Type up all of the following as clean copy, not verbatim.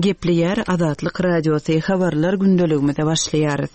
Gepleýär Azatlyk Radiosy, Habarlar gündeligimize başlaýarys.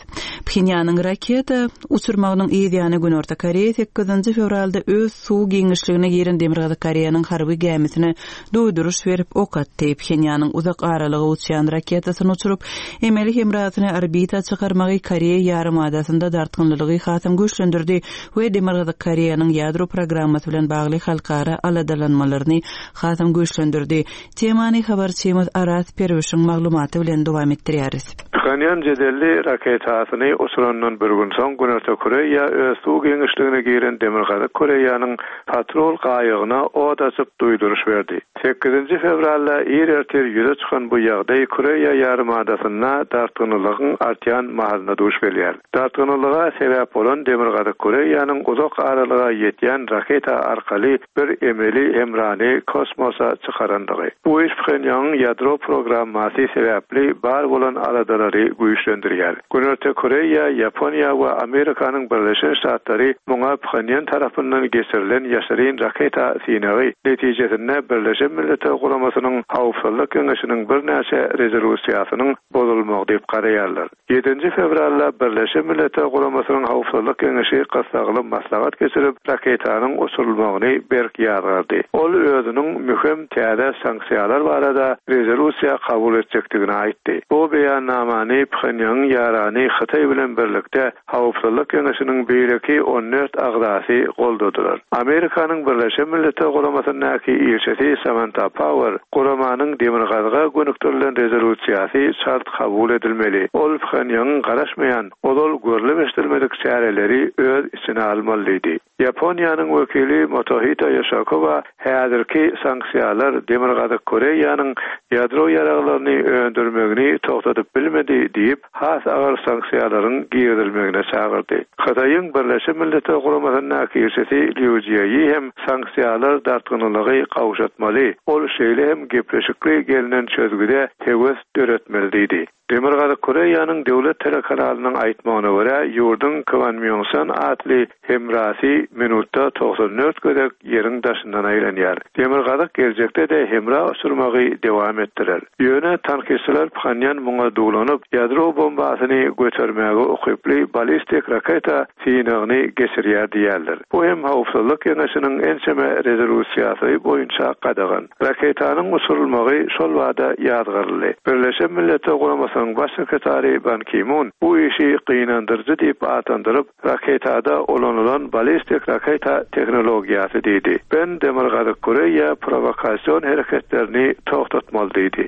Phenýanyň raketa uçurmagynyň yz ýany Günorta Koreýa sekizinji fewralda öz suw giňişligine giren Demirgazyk Koreýanyň harby gämisine duýduryş berip, ok atdy. Phenýanyň uzak aralyga uçýan raketasyny uçuryp, emeli hemrasyny orbita çykarmagy Koreýa ýarymadasynda dartgynlylygy hasam güýçlendirdi we Demirgazyk Koreýanyň ýadro programmasy bilen bagly halkara aladalanmalaryny hasam güýçlendirdi. Temany habarçymyz Araz Perwişiň maglumaty bilen dowam etdirýäris. Phenýan jedelli raketasyny uçurandan bir gün soň Günorta Koreýa öz suw giňişligine giren Demirgazyk Koreýanyň patrul gaýygyna ot açyp duýduryş berdi. Sekizinji fewralda ir ertir ýüze çykan bu ýagdaý Koreýa ýarymadasynda dartgynlylygyň artýan mahalyna duş gelýär. Dartgynlylyga sebäp bolan Demirgazyk Koreýanyň uzak aralyga ýetýän raketa arkaly bir emeli hemrany kosmosa çykarandygy. Bu iş Phenýangyň ýadro programmasy sebäpli bar bolan aladalary güýçlendirýär. Günorta Koreýa, Ýaponiýa we Amerikanyň Birleşen Ştatlary muňa Phenýan tarapyndan geçirilen ýaşyryn raketa synagy netijesinde Birleşen Milletler Guramasynyň Howpsuzlyk Geňeşiniň birnäçe rezolýusiýasynyň bozulmagy diýip garaýarlar. Ýedinji fewralda Birleşen Milletler Guramasynyň Howpsuzlyk Geňeşi gyssagly maslahat geçirip, raketanyň uçurylmagyny berk ýazgardy. Ol özüniň möhüm täze sanksiýalar barada rezolýusiýa kabul etjekdigini aýtdy. Bu beýannamany Phenýangyň ýarany Hytaý bilen birlikde Howpsuzlyk Geňeşiniň beýleki 14 agzasy goldadylar. Amerikanyň Birleşen Milletler Guramasyndaky ilçisi Samanta Power guramanyň Demirgazyga gönükdirilen rezolýusiýasy çalt kabul edilmeli, ol Phenýangyň garaşmaýan, ozal görlüp-eşidilmedik çäreleri öz içine almaly diýdi. Ýaponiýanyň wekili Motohito Ýoşakowa häzirki sanksiýalar Demirgazyk Koreýanyň ýadro ýaraglaryny öndürmegini togtadyp bilmedi diýip, has agyr sanksiýalaryň girizilmegine çagyrdy. Hytaýyň Birleşen Milletler Guramasyndaky ilçisi Lýu Jieýi hem sanksiýalar dartgynlylygy gowşatmaly, ol şeýle hem gepleşikli gelnen çözgüde höwes döretmeli diýdi. Demirgazyk Koreýanyň döwlet telekanalynyň aýtmagyna görä, ýurduň Kwanmýongsan atly hemrasy minutda 94 gezek Ýeriň daşyndan aýlanýar. Demirgazyk geljekde-de hemra uçurmagy dowam etdirer. Ýöne tankytçylar Phanýan muňa duwlanyp, ýadro bombasyny götermäge ukyply ballistik raketa synagyny geçirýär diýýärler. Bu hem Howpsuzlyk Geňeşiniň ençeme rezolýusiýasy boýunça gadagan. Raketanyň uçurylmagy şol bada ýazgaryldy. Birleşen Milletler Guramasynyň Baş sekretary Ban Ki-mun bu işi gynandyryjy diýip atlandyryp, raketada ulanylan ballistik raketa tehnologiýasy diýdi. Ben Demirgazyk Koreýa prowokasion hereketlerini togtatmaly diýdi.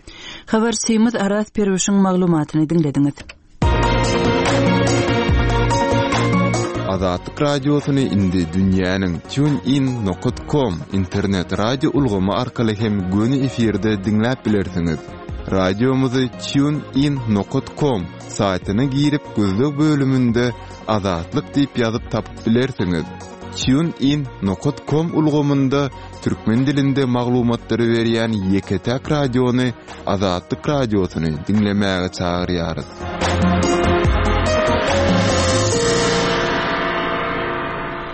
Habarçymyz Araz Perwişiň maglumatyny diňlediňiz. Azatlyk Radiosyny indi dünýäniň TuneIn nokat kom internet radio ulgamy arkaly hem göni efirde diňläp bilersiňiz. Radiomyzy TuneIn nokat kom saýtyna girip gözleg bölüminde Azatlyk diýip ýazyp tapyp bilersiňiz. TuneIn nokat kom ulgamynda türkmen dilinde maglumatlary berýän ýeke-täk radiony Azatlyk Radiosyny diňlemäge çagyrýarys.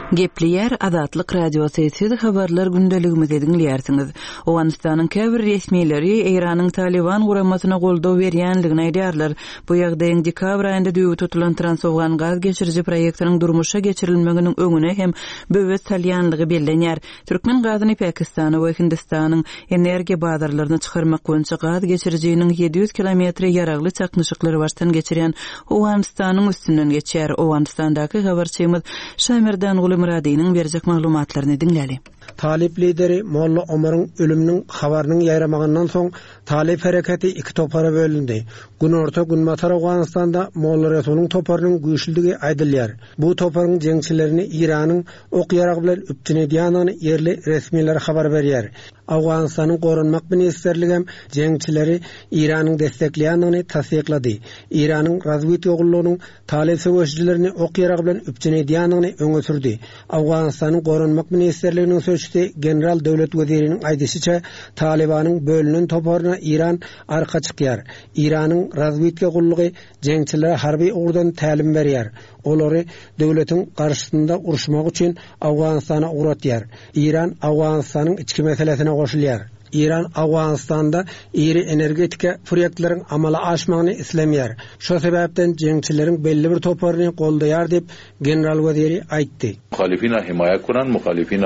Gepleýär Azatlyk Radiosy, siz habarlar gündeligimizi diňleýärsiňiz. Owganystanyň käbir resmileri Eýranyň Talyban guramasyna goldaw berýändigini aýdýarlar. Bu ýagdaýyň dekabr aýynda düýbi tutulan Transowgan gaz geçiriji proýektiniň durmuşa geçirilmeginiň öňüne hem böwet salýanlygy bellenýär. Türkmen gazyny Pakistana we Hindistanyň energiýa bazarlaryna çykarmak boýunça gaz geçirijiniň 700 kilometri ýaragly çaknyşyklary başdan geçirýän Owganystanyň üstünden geçýär. Owganystandaky habarçymyz Şamerdanguly Myradynyň berjek maglumatlaryny diňläli. Talyp lideri Molla Omaryň ölüminiň habarynyň ýaýramagyndan soň talyp hereketi iki topara bölündi. Günorta-Günbatar Owganystanda Molla Resulyň toparynyň güýçlüdigi aýdylýar. Bu toparyň jeňçilerini Eýranyň ok-ýarag bilen üpjün edýändigini ýerli resmiler habar berýär. Owganystanyň Goranmak ministrligem jeňçileri Eýranyň destekleýändigini tassyklady. Eýranyň razwidka gullugynyň talyp söweşijilerini ok-ýarag bilen üpjün edýändigini öňe sürdi. Owganystanyň Goranmak ministrliginiň sözçüsi general Döwlet Weziriniň aýdyşyça, Talybanyň bölünen toparyna Eýran arka çykýar. Eýranyň razwidka gullugy jeňçilere harby ugurdan tälim berýär. Olary döwletiň garşysynda uruşmak üçin Owganystana ugratýar. Eýran Owganystanyň içki meselesine goşulýar. Eýran Owganystanda iri energetika proýektleriň amala aşmagyny islemeýär. Şo sebäpden jeňçileriň belli bir toparyny goldaýar diýip, general weziri aýtdy. مخالفین حمایه کنند مخالفین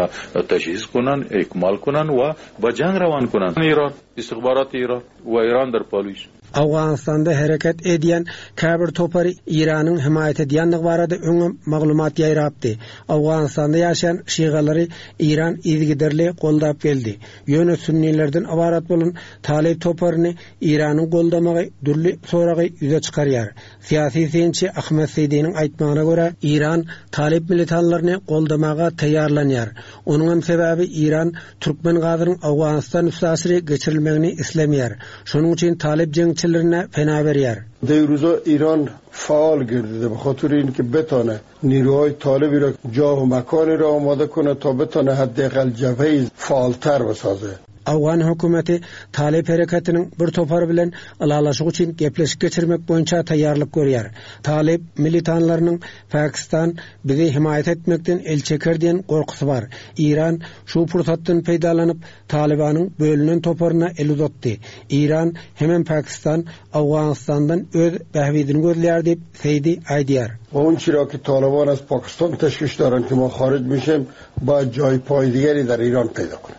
تجهیز کنند اکمال کنند و به جنگ روان کنند ایران استخبارات ایران و ایران در پالیس Owganystanda hereket edýän käbir topary Eýranyň hemaýat edýändigi barada öňem maglumat ýaýrapdy. Owganystanda ýaşaýan şigalary Eýran yzygiderli goldap geldi. Ýöne sünnilerden ybarat bolan Talyp toparyny Eýranyň goldamagy dürli soragy ýüze çykarýar. Syýasy synçy Ahmet Seýdiniň aýtmagyna görä, Eýran talyp militanlaryny goldamaga taýýarlanýar. Onuňam sebäbi Eýran türkmen gazynyň Owganystan üstaşyry geçirilmegini islemeýär. Şonuň üçin talyp jeňçilerine pena berýär. در روزا ایران فعال گردیده به خاطر اینکه بتانه نیروهای طالبی را جا و مکانی را آماده کنه تا بتانه حداقل جبهه فعالتر بسازه. Owgan hökümeti Talyp hereketiniň bir topary bilen ylalaşyk üçin gepleşik geçirmek boýunça taýýarlyk görýär. Talyp militanlarynyň Pakistan bizi hemaýat etmekden el çeker diýen gorkusy bar. Eýran şu pursatdan peýdalanyp, Talybanyň bölünen toparyna el uzatdy. Eýran hemem Pakistan Owganystandan öz bähbidini gözleýär diýip, Seýdi aýdýar. و اون چیرا که طالبان از پاکستان تشویش دارند که ما خارج میشیم باید جای پای دیگری در ایران پیدا کنیم.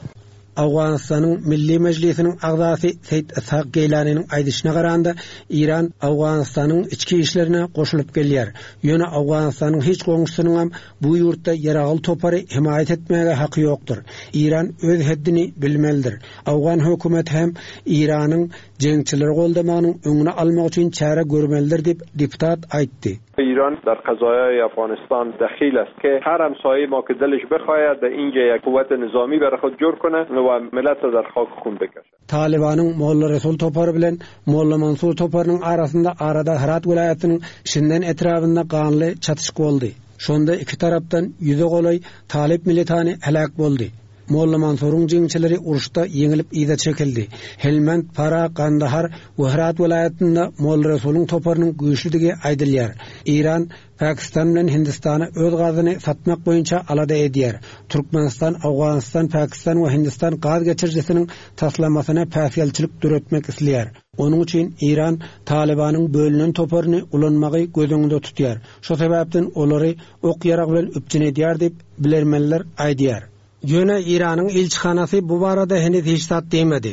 Owganystanyň Milli Mejlisiniň agzasy Seýit Yshak Geýlanynyň aýdyşyna garanda, Eýran Owganystanyň içki işlerine goşulyp gelýär. Ýöne Owganystanyň hiç goňşusynyňam bu ýurtda ýaragly topary hemaýat etmäge haky ýokdur. Eýran öz heddini bilmelidir. Owgan hökümeti hem Eýranyň jeňçileri goldamagynyň öňüni almak üçin çäre görmelidir diýip, deputat aýtdy. ایران در قضایای افغانستان دخیل است که هر همسایه ما که دلش بخواهد در اینجا یک قوت نظامی برای خود جور کنه و ملت را در خاک خون بکشه. Talybanyň Molla Resul topary bilen Molla Mansur toparynyň arasynda arada Hyrat welaýatynyň Şinden etrabynda ganly çatyşyk boldy. Şonda iki tarapdan ýüze golaý talyp militany heläk boldy. Molla Mansuryň jeňçileri uruşda ýeňilip yza çekildi. Helmand, Farah, Gandahar we Hyrat welaýatynda Molla Resulyň toparynyň güýçlüdigi aýdylýar. Eýran Pakistan bilen Hindistana öz gazyny satmak boýunça alada edýär. Türkmenistan Owganystan, Pakistan we Hindistan gaz geçirijisiniň taslamasyna päsgelçilik döretmek isleýär. Onuň üçin Eýran Talybanyň bölünen toparyny ulanmagy göz öňünde tutýar. Şo sebäpden olary ok-ýarag bilen üpjün edýär diýip, bilermenler aýdýar. Ýöne Eýranyň ilçihanasy bu barada heniz hiç zat diýmedi.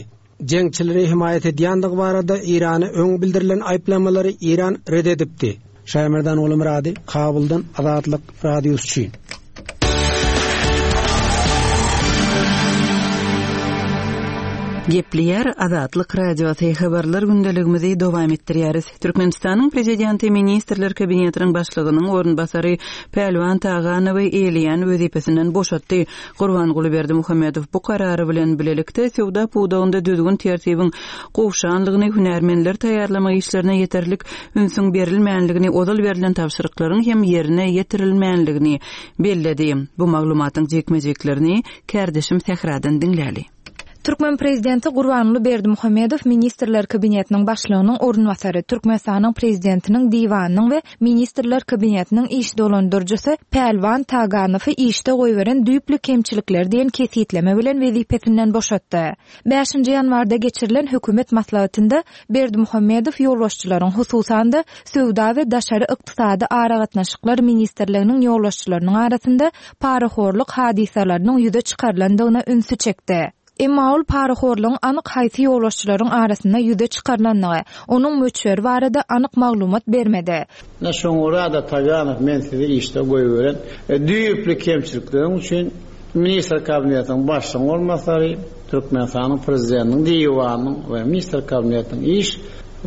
Jeňçileri hemaýat edýändigi barada Eýrana öň bildirilen aýyplamalary Eýran ret edipdi. Şaýmerdan Gulumyrady, Kabuldan Azatlyk Radiosy üçin. Gepleýär Azatlyk Radiosy, habarlar gündeligimizi dowam etdirýäris. Türkmenistanyň Prezidenti Ministrler Kabinetiniň Başlygynyň orunbasary Pälwan Taganowy eýeleýän wezipesinden boşatdy. Gurbanguly Berdimuhamedow bu karary bilen bilelikde söwda pudagynda düzgün-tertibiň gowşanlygyny, hünärmenleri taýýarlamak işlerine ýeterlik ünsüň berilmänligini, ozal berlen tabşyryklaryň hem ýerine ýetirilmänligini belledi. Bu maglumatyň jikme-jiklerini kärdeşim Sähradan diňläli. Türkmen prezidenti Gurbanguly Berdimuhamedow Ministrler Kabinetiniň Başlygynyň orunbasary, Türkmenistanyň Prezidentiniň Diwanynyň we Ministrler Kabinetiniň iş dolandyryjysy Pälwan Taganowy işde goýberen düýpli kemçilikleri diýen kesgitleme bilen wezipesinden boşatdy. Bäşinji ýanwarda geçirilen hökümet maslahatynda Berdimuhamedow ýolbaşçylaryň, hususan-da, Söwda we daşary ykdysady aragatnaşyklar ministrliginiň ýolbaşçylarynyň arasynda parahorluk hadysalarynyň ýüze çykarylandygyna ünsi çekdi. Emma ol parahorlugyň anyk haýsy ýolbaşçylaryň arasynda ýüze çykarylandygy, onuň möçberi barada anyk maglumat bermedi. Ine şoňa görä-de Taganow men sizi işde goýberen düýpli kemçilikleriň üçin Ministr Kabinetiniň Başlygynyň orunbasary, Türkmenistanyň Prezidentiniň Diwanynyň we Ministr Kabinetiniň iş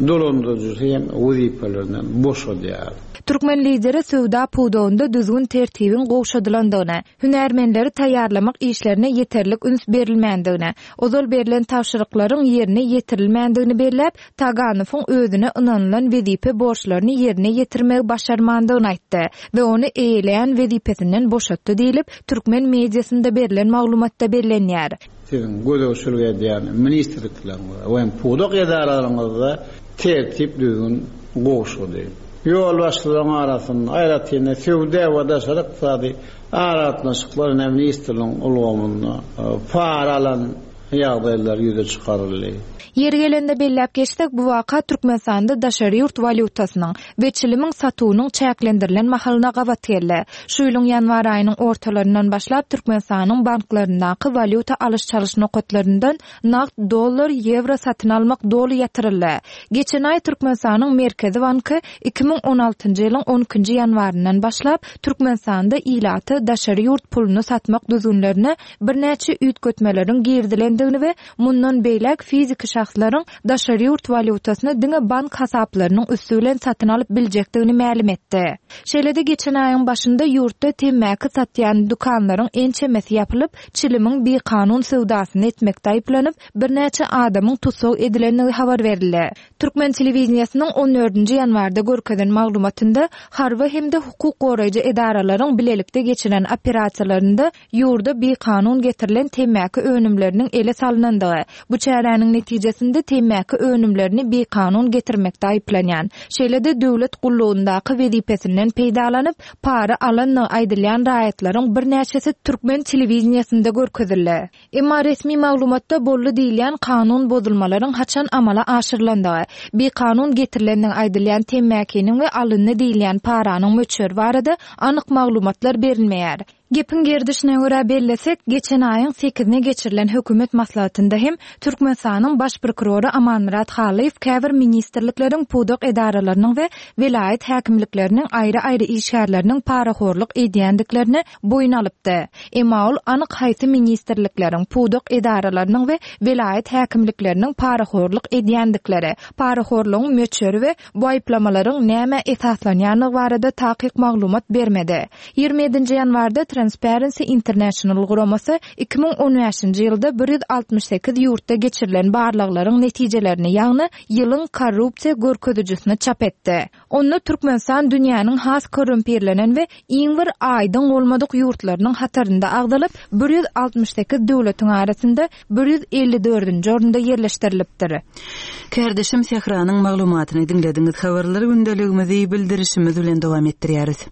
dolandyryjysy hem wezipelerinden boşadýar. Türkmen Lideri söwda pudagynda düzgün-tertibiň gowşadylandygyny, hünärmenleri taýýarlamak işlerine ýeterlik üns berilmändigini, ozal berlen tabşyryklaryň ýerine ýetirilmändigini belläp, Taganowyň özüne ynanylan wezipe borçlaryny ýerine ýetirmegi başarmandygyny aýtdy we ony eýeleýän wezipesinden boşatdy diýlip, türkmen mediasynda berlen maglumatda bellenýär. Siziň gözegçilik edýän ministrlikleriňizde we pudak edaralaryňyzda tertip-düzgün gowşady. Ýolbaşçylaryň arasynda, aýratyn-da, söwda we daşary ykdysady aragatnaşyklar ministrligiň ulgamynda para alan. ýagdaýlar ýüze çykaryldy. Ýeri gelende belläp geçsek, bu waka Türkmenistanda daşary ýurt walýutasynyň we çilimiň satuwynyň çäklendirilen mahalyna gabat geldi. Şu ýylyň ýanwar aýynyň ortalaryndan başlap Türkmenistanyň banklaryndaky walýuta alyş-çalyş nokatlaryndan nagt dollar, ýewro satyn almak doly ýatyryldy. Geçen aý Türkmenistanyň Merkezi banky 2016-njy ýylyň on ikinji ýanwaryndan başlap Türkmenistanda ilata daşary ýurt puluny satmak düzgünlerine birnäçe üýtgetmeleriň girizilendigini we mundan beýläk fiziki şahslaryň daşary ýurt walýutasyny diňe bank hasaplarynyň üsti bilen satyn alyp biljekdigini mälim etdi. Şeýle-de geçen aýyň başynda ýurtda temmäki satýan dükanlaryň ençemesi ýapylyp, çilimiň bikanun söwdasyny etmekde aýyplanyp, birnäçe adamyň tussag edilendigi habar berildi. Türkmen telewideniýesiniň on dördünji ýanwarda görkezen maglumatynda harby hem-de hukuk goraýjy edaralaryň bilelikde geçiren operasiýalarynda ýurda bikanun getirilen temmäki önümleriniň ele salnandygy, bu çäräniň netijesinde temmäki önümlerini bikanun getirmekde aýyplanýan, şeýle-de döwlet gullugyndaky wezipesinden peýdalanyp, para alandygy aýdylýan raýatlaryň birnäçesi türkmen telewideniýesinde görkezildi. Emma resmi maglumatda boldy diýilýän kanun bozulmalaryň haçan amala aşyrylandygy, bikanun getirilendigi aýdylýan temmäkiniň we alyndy diýilýän paranyň möçberi barada anyk maglumatlar berilmeýär. Gepiň gerdişine görä bellesek, geçen aýyň sekizine geçirilen hökümet maslahatynda hem Türkmenistanyň Baş prokurory Amanmyrat Hallyýew käbir ministrlikleriň, pudak edaralarynyň we welaýat häkimlikleriniň aýry-aýry işgärleriniň parahorluk edýändiklerini boýun alypdy. Emma ol anyk haýsy ministrlikleriň, pudak edaralarynyň we welaýat häkimlikleriniň parahorluk edýändikleri, parahorlugyň möçberi we bu aýyplamalaryň nämä esaslanýandygy barada takyk maglumat bermedi. 27-nji ýanwarda Transparency International guramasy 2015-nji ýylda 168 ýurtda geçirilen barlaglaryň netijelerini, ýagny ýylyň korrupsiýa görkezijisini çap etdi. Onda Türkmenistan dünýäniň has korrumpirlenen we iň bir aýdyň bolmadyk ýurtlarynyň hatarynda agzalyp, 168 döwletiň arasynda 154-nji orunda ýerleşdirilipdir. Kärdeşim Sähranyň maglumatyny diňlediňiz. Habarlar gündeligimizi bildirişimiz bilen dowam etdirýäris.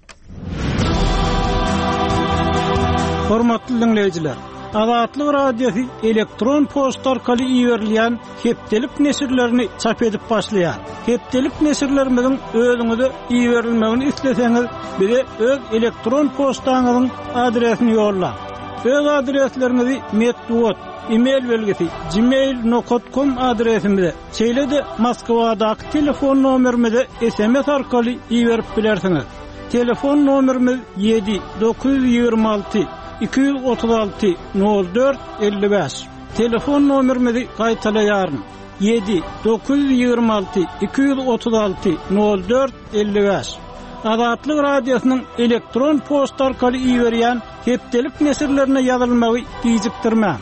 Hormatly diňleýjiler! Azatlyk Radiosy elektron poçta arkaly iberilýän hepdelik neşirlerini çap edip başlaýar. Hepdelik neşirlerimiziň özüňize iberilmegini isleseňiz, bize öz elektron poçtaňyzyň adresini ýollaň. Öz adresleriňizi metbugat, e-mail belgisi, gmail nokat kom adresimize, şeýle-de Moskwadaky telefon nomerimize sms arkaly iberip bilersiňiz. Telefon nomerimiz ýedi, 926 236 04 55. Telefon nomerimizi gaýtalaýaryn, ýedi, 926 236 04 55. Azatlyk Radiosynyň elektron poçta arkaly iberýän hepdelik neşirlerine ýazylmagy gijikdirmäň.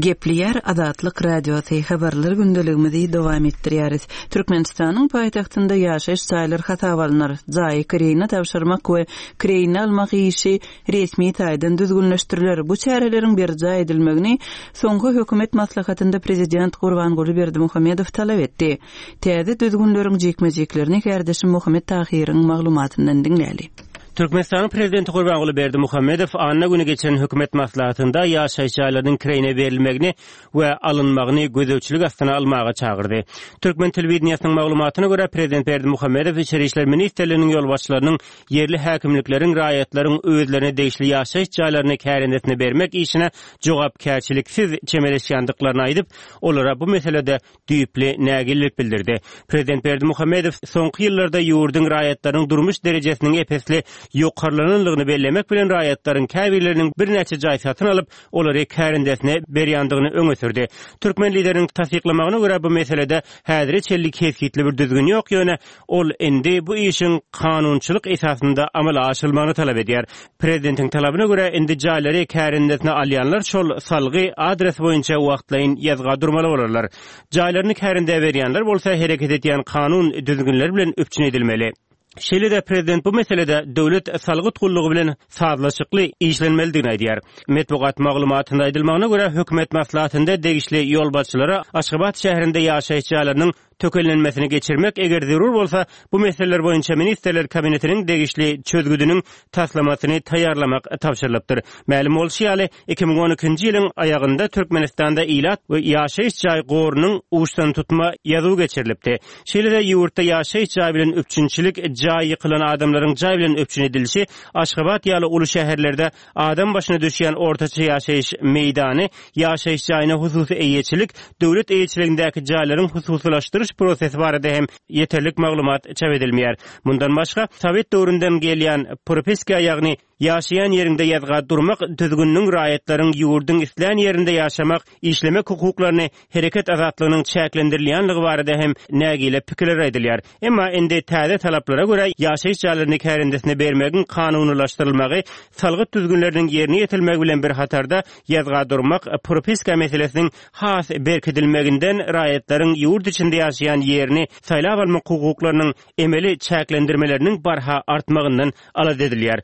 Gepleýär Azatlyk Radiosy, Habarlar gündeligimizi dowam etdirýäris. Türkmenistanyň paýtagtynda ýaşaýyş jaýlar hasaba alnar. Jaýy kireýine tabşyrmak we kireýine almak işi resmi taýdan düzgünleşdiriler. Bu çäreleriň berjaý edilmegini soňky hökümet maslahatynda prezident Gurbanguly Berdimuhamedow talap etdi. Täze düzgünleriň jikme-jiklerini kärdeşim Muhammet Tahyryň maglumatyndan diňläli. Türkmenistanyň Prezidenti Gurbanguly Berdimuhamedow anna güni geçiren hökümet maslahatynda ýaşaýyş jaýlarynyň kireýine berilmegini we alynmagyny gözegçilik astyna almaga çagyrdy. Türkmen telewideniýesiniň maglumatyna görä, prezident Berdimuhamedow Içeri işler ministrliginiň ýolbaşçylarynyň ýerli häkimlikleriň raýatlaryň özlerine degişli ýaşaýyş jaýlaryny kärendesine bermek işine jogapkärçiliksiz çemeleşýändiklaryny aýdyp, olara bu meselede düýpli nägilelik bildirdi. Prezident Berdimuhamedow soňky ýyllarda ýurduň raýatlarynyň durmuş derejesiniň ep-esli ýokarlanandygyny bellemek bilen, raýatlaryň käbirleriniň birnäçe jaý satyn alyp, olary kärendesine berýändigini öňe sürdi. Türkmen Lideriniň tassyklamagyna görä, bu meselede häzire çenli kesgitli bir düzgün ýok, ýöne ol indi bu işiň kanunçylyk esasynda amala aşyrylmagyny talap edýär. Prezidentiň talabyna görä, indi jaýlary kärendesine alýanlar şol salgy, adres boýunça wagtlaýyn ýazga durmaly bolarlar. Jaýlaryny kärendä berýänler bolsa hereket edýän kanun düzgünler bilen üpjün edilmeli. Şeýle-de prezident bu meselede döwlet salgyt gullugy bilen sazlaşykly işlenmelidigini aýdýar. Metbugat maglumatynda aýdylmagyna görä, hökümet maslahatynda degişli ýolbaşçylara Aşgabat şäherinde ýaşaýyş jaýlarynyň. tökellenmesini geçirmek, eger zerur bolsa, bu meseleler boýunça Ministrler Kabinetiniň degişli çözgüdiniň taslamasyny taýýarlamak tabşyrylypdyr. Mälim bolşy ýaly, 2012-nji ýylyň aýagynda Türkmenistanda ilat we ýaşaýyş jaý gorunyň uçdantutma ýazuwy geçirilipdi. Şeýle-de ýurtda ýaşaýyş jaý bilen üpjünçilik, jaý ýykylan adamlaryň jaý bilen üpjün edilişi, Aşgabat ýaly uly şäherlerde adam başyna düşýän ortaça ýaşaýyş meýdany, ýaşaýyş jaýyna hususy eýeçilik, döwlet eýeçiligindäki jaýlaryň hususylaşdyryş prosesi barada hem ýeterlik maglumat çap edilmeýär. Mundan başga, sowet döwründen gelýän propiska, ýagny ýaşaýan ýeriňde ýazga durmak düzgüniniň raýatlaryň ýurduň islän ýerinde ýaşamak, işlemek hukuklaryny, hereket azatlygynyň çäklendirilýänligi barada hem nägile pikirler aýdylýar. Emma indi täze talaplara görä, ýaşaýyş jaýlaryny kärendesine bermegiň kanunylaşdyrylmagy, salgyt düzgünleriniň ýerine ýetirilmegi bilen bir hatarda ýazga durmak, propiska meselesiniň has berkidilmeginden raýatlaryň ýurt içinde ýaşaýan ýerini saýlap almak hukuklarynyň emeli çäklendirmeleriniň barha artmagyndan alada edilýär.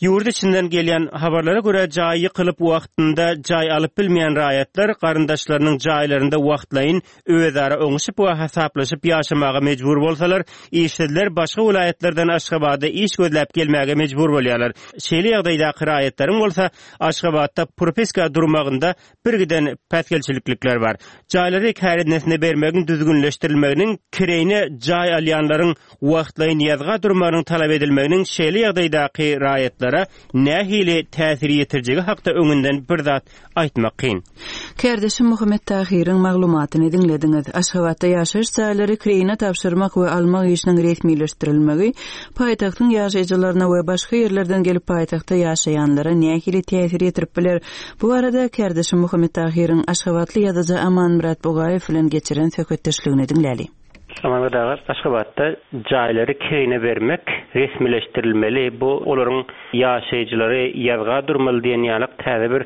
Ýurt içinden gelýän habarlara görä, jaýy ýykylyp wagtynda jaý alyp bilmeýän raýatlar garyndaşlarynyň jaýlarynda wagtlaýyn özara oňuşyp we hasaplaşyp ýaşamaga mejbur bolsalar, işsizler başga welaýatlardan Aşgabada iş gözläp gelmäge mejbur bolýarlar. Şeýle ýagdaýdaky raýatlaryň bolsa Aşgabatda propiska durmagynda birgiden päsgelçiliklikler bar. Jaýlary kärendesine bermegiň düzgünleşdirilmeginiň, kireýine jaý alýanlaryň wagtlaýyn ýazga durmagynyň talap edilmeginiň şeýle ýagdaýdaky raýatlara nähili täsir ýetirjegi hakda öňünden bir zat aýtmak kyn. Kärdeşim Muhammet Tahyryň maglumatyny diňlediňiz. Aşgabatda ýaşaýyş jaýlary kireýine tabşyrmak we almak işiniň resmileşdirilmegi paýtagtyň ýaşaýjylaryna we başga ýerlerden gelip paýtagtda ýaşaýanlara nähili täsir ýetirip biler? Bu barada kärdeşim Muhammet Tahyryň aşgabatly ýazyjy Amanmyrat Bugaýew bilen geçiren söhbetdeşligini diňläli. Amanmyrat aga, Aşgabatda jaýlary kireýine bermek resmileşdirilmeli, bu olaryň ýaşaýjylary ýazga durmaly diýen ýalyk täze bir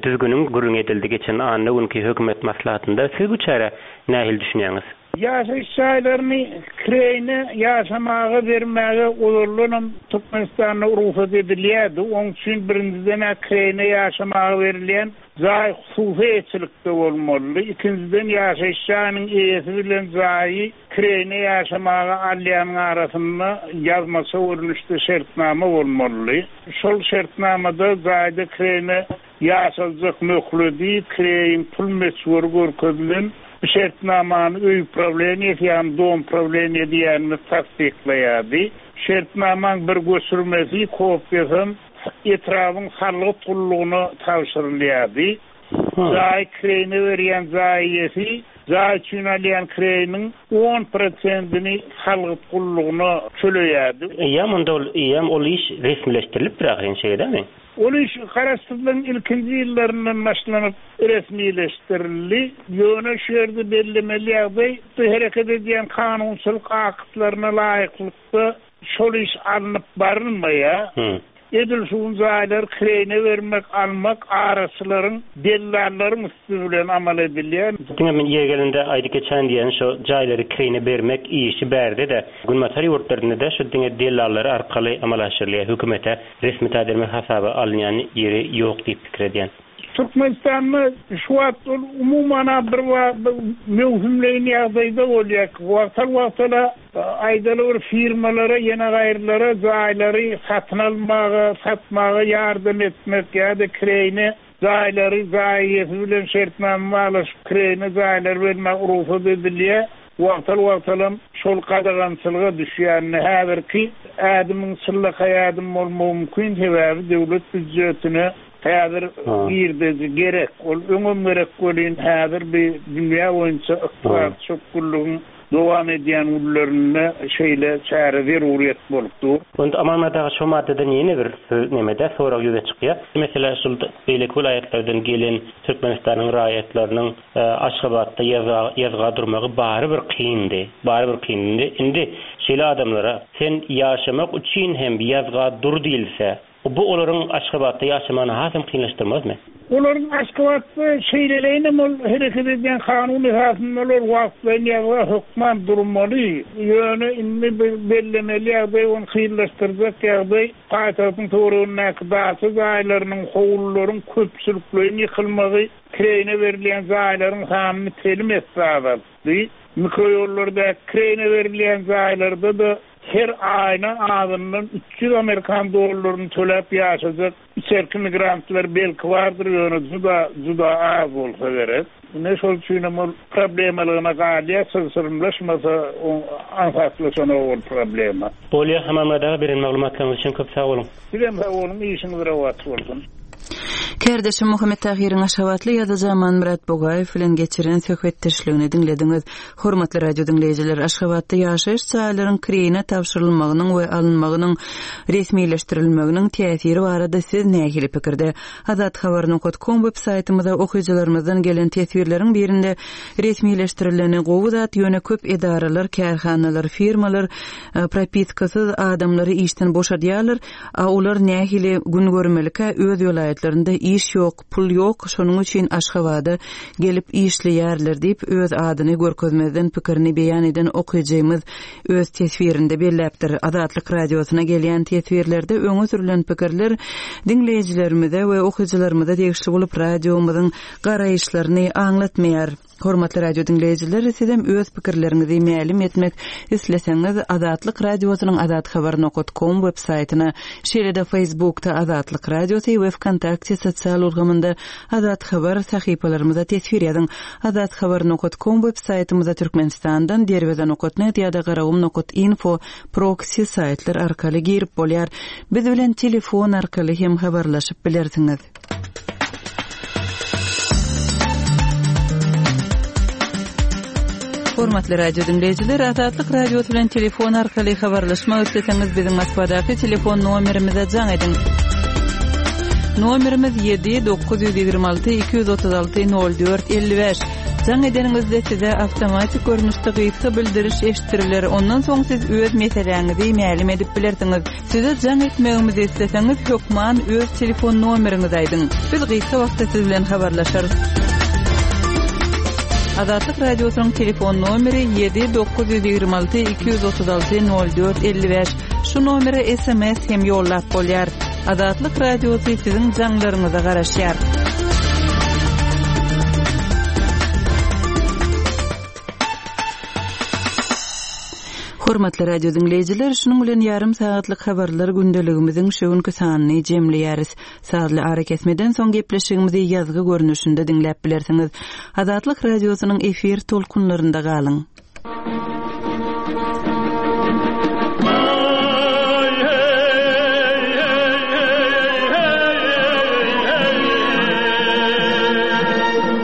düzgüniň gürrüňi edildi geçen anna günki hökümet maslahatynda. Siz bu çärä nähili düşünýäňiz? Ýaşaýyş jaýlaryny kireýine ýaşamaga bermäge ozaldanam Türkmenistanda rugsat edilýärdi. Oň üçin birinjiden-ä kireýine ýaşamaga berilýän jaý hususy eýeçilikde bolmalydy. Ikinjiden ýaşaýyş jaýynyň eýesi bilen jaýy kireýine ýaşamaga alýanyň arasynda ýazmaça görnüşde şertnama bolmalydy. Şol şertnamada jaýda kireýine Ýaşaljak möhledi, kireýiň pul möçberi görkezilen bu şertnamany öý uprawleniýesi, ýagny dom prawleniýe diýýänimiz tassyklaýardy. Şertnamaň bir göçürmesi, kopiýasam, etrabyň salgyt gullugyna tabşyrylýardy. Jaýy kireýine berýän jaý eýesi jaý üçin alýan kireýiniň on prosentini salgyt gullugyna töleýärdi. Eýýäm onda ol eýýäm ol iş resmileşdirilipdir ahyryn şeýle dälmi? Ol iş Garaşsyzlygyň ilkinji ýyllaryndan başlanyp resmileşdirildi. Ýöne şu ýerde bellemeli ýagdaý, bu hereket edýän kanunçylyk aktlaryna laýyklykda şol iş alnyp barylmaýar. Edil şu gün jaýlary kireýine bermek, almak araçylaryň, dellallaryň üsti bilen amal edilýär. Diňe men ýeri gelende aýdyp geçäýin diýýän, şo jaýlary kireýine bermek işi bärde-de, günbatar ýurtlarynda-da şu diňe dellallar arkaly amala aşyrylýar. Hökümete Resmi taýdan men hasaba alynýan ýeri ýok diýip pikir edýän. Türkmenistanda şu wagt ol umuman-a bir möwsümleýin ýagdaýda bolýar. Wagtal-wagtala aýdaly bir firmalara ýene gaýrylara jaýlary satyn almaga, satmaga ýardam etmek ýa-da kireýine Jaýlary jaý eýesi bilen şertnama baglaşyp kireýine jaýlary bermäge rugsat edilýär. Wagtal-wagtalam şol gadagançylyga düşýänini häzirki ädimiň çynlakaý ädim bolmagy mümkin, sebäbi döwlet býujetine häzir girdeji gerek. Ol öňem gerek welin, häzir bi dünýä boýunça ykdysady çökgünligiň dowam edýän günlerinde şeýle çäre zeruryýet bolup dur. Onda Amanmyrat aga şo maddadan ýene bir nemede sorag ýüze çykýar. Meselä şul beýleki welaýatlardan gelen Türkmenistanyň raýatlarynyň Aşgabatda ýazga ýazga durmagy barybir kyndy. Barybir kyndy. Indi şeýle adamlara sen ýaşamak üçin hem ýazga dur diýilse, Bu olaryň Aşgabatda ýaşamagyny hasam kynlaşdyrmazmy? Olaryň Aşgabatda şeýleleýinem ol hereket edýän kanun esasynda olar wagtlaýyn ýazga hökman durmaly. Ýöne indi bir bellemeli ýagdaý ony kynlaşdyrjak ýagdaý paýtagtyň töweregindäki daça jaýlarynyň, howlularyň köpçülikleýin ýykylmagy kireýine berilýän jaýlaryň sanyny telim esse azaltdy. Mikroýollardaky kireýine berilýän jaýlarda-da her aýyna azyndan 300 amerikan dollaryny töläp ýaşajak içerki migrantlar belki bardyr, ýöne juda, juda az bolsa gerek. Ine, şol üçinem ol problemalygyna galýar, çylşyrymlaşmasa, aňsatlaşanok ol problema. Bolýa, Amanmyrat aga beren maglumatlaryňyz üçin köp sag boluň. Sizem sag boluň, işiňiz rowaç bolsun. Kärdeşim Muhammet Tahyryň aşgabatly ýazyjy Amanmyrat Bugaýew bilen geçiren söhbetdeşligini diňlediňiz. Hormatly radio diňleýjiler, Aşgabatda ýaşaýyş jaýlaryň kireýine tabşyrylmagynyň we alynmagynyň resmileşdirilmeginiň täsiri barada siz nähili pikirde? Azathabar nokat kom web saýtymyza okyjylarymyzdan gelen teswirleriň birinde resmileşdirileni gowy zat, ýöne köp edaralar, kärhanalar, firmalar propiskasyz adamlary işden boşadýarlar, a olar nähili gün görmelikä öz welaýatlarynda iş ýok, pul ýok, şonuň üçin Aşgabada gelip işleýärler diýip öz adyny görkezmezden pikirini beýan eden okyjymyz öz teswirinde belläpdir. Azatlyk Radiosyna gelýän teswirlerde öňe sürlen pikirler diňleýjilerimize we okyjylarymyza degişli bolup, radiomyzyň garaýyşlaryny aňlatmaýar. Hormatly radio diňleýjiler, sizem öz pikirleriňizi mälim etmek isleseňiz, Azatlyk Radiosynyň azathabar nokat kom web saýtyna, şeýle-de Facebookda Azatlyk Radiosy we Wkontakte sosial ulgamynda Azathabar sahypalarymyza teswir ýazyň. Azathabar nokat kom web saýtymyza Türkmenistandan Derweze nokat net ýa-da Garagum nokat info proksi saýtlar arkaly girip bolýar. Biz bilen telefon arkaly hem habarlaşyp bilersiňiz. Hormatly radio diňleýjiler, Azatlyk Radiosy bilen telefon arkaly habarlaşmak isleseňiz, biziň Moskwadaky telefon nomerimize jaň ediň. Nomerimiz 7 926 236 04 55. Jaň edeniňizde size awtomatik görnüşde gysga bildiriş eşitdiriler. Ondan soň siz öz meseläňizi mälim edip bilersiňiz. Size jaň etmegimizi isleseňiz, hökman öz telefon nomeriňizi aýdyň. Biz gysga wagtda siz bilen habarlaşarys. Azatlyk Radiosynyň telefon nomeri 7 926 236 04 55. Şu nomere sms hem ýollap bolýar. Azatlyk Radiosy siziň jaňlaryňyza garaşýar. Hormatly radio diňleýjiler, şunuň bilen ýarym sagatlyk habarlar gündeligimiziň şu günki sanyny jemleýäris. Sazly arakesmeden soň gepleşigimizi ýazgy görnüşinde diňläp bilersiňiz. Azatlyk Radiosynyň efir tolkunlarynda galyň.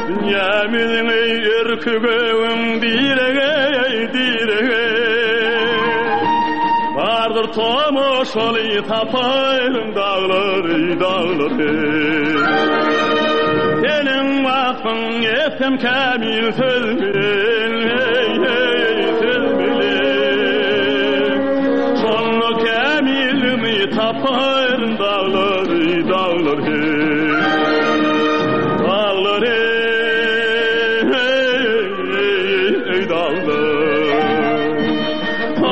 Dünýämiziň erki göwün diregi, diregi. Bardyr tomaşaly tapaýyň daglary, daglary. Seniň wasbyň etsem kämil söz bilen, heý, heý, söz bilen. Şonda kämilligimi tapaýyn daglary, daglary. Daglar eý, daglar.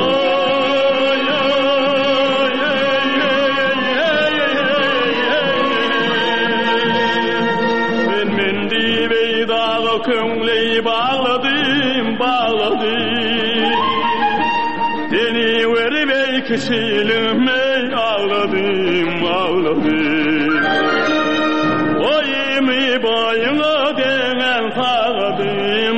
Aý, aý, eý, eý, eý, eý. Men men diýip eý daga köňli bagladym, bagladym. Seni görüp eý kişiligim eý agladym, agladym. Boýumy boýuňa deňän sagadym.